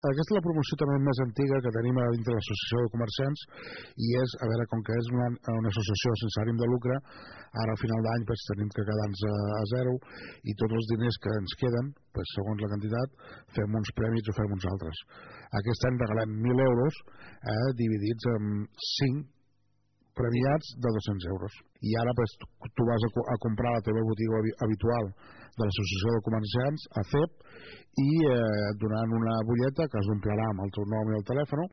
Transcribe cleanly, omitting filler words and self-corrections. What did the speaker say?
Aquesta és la promoció també més antiga que tenim a dintre l'Associació de Comerciants, i és, a veure, com que és una associació sense ànim de lucre, ara al final d'any tenim que quedar-nos a zero, i tots els diners que ens queden, segons la quantitat, fem uns prèmits o fem uns altres. Aquest any regalem 1.000 euros dividits en 5 premiats de 200 euros. I ara tu vas a comprar la teva botiga habitual de l'Associació de Comerciants, a CEP, i donant una butlleta que es omplirà amb el teu nom i el telèfon,